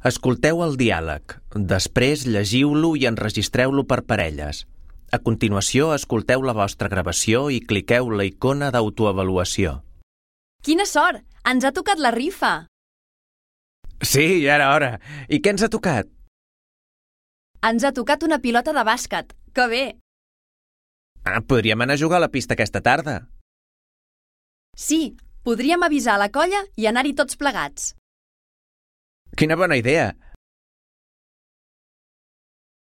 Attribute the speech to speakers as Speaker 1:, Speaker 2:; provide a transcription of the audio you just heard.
Speaker 1: Escolteu el diàleg. Després llegiu-lo i enregistreu-lo per parelles. A continuació, escolteu la vostra gravació i cliqueu la icona d'autoavaluació.
Speaker 2: Quina sort! Ens ha tocat la rifa!
Speaker 1: Sí, ja era hora. I què ens ha tocat?
Speaker 2: Ens ha tocat una pilota de bàsquet. Que bé!
Speaker 1: Podríem anar a jugar a la pista aquesta tarda.
Speaker 2: Sí, podríem avisar a la colla i anar-hi tots plegats.
Speaker 1: Quina bona idea!